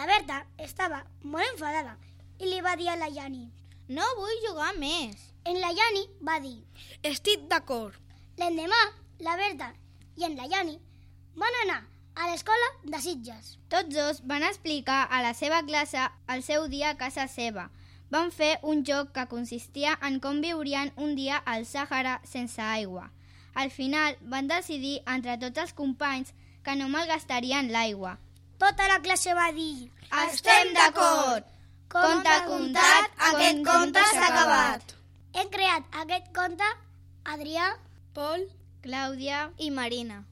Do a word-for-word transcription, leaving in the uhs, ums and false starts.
Berta estava molt enfadada i li va dir a la Yani: No vull jugar més. En la Yani va dir: Estic d'acord. L'endemà, la Berta i en la Yani van anar a l'escola de Sitges. Tots dos van explicar a la seva classe el seu dia a casa seva. Van fer un joc que consistia en com viurien un dia al Sàhara sense aigua. Al final van decidir entre tots els companys que no malgastarien l'aigua. Tota la classe va dir: Estem d'acord! Conte contat, aquest conte s'ha acabat. Hem creat aquest conte Adrià, Pol Clàudia i Marina.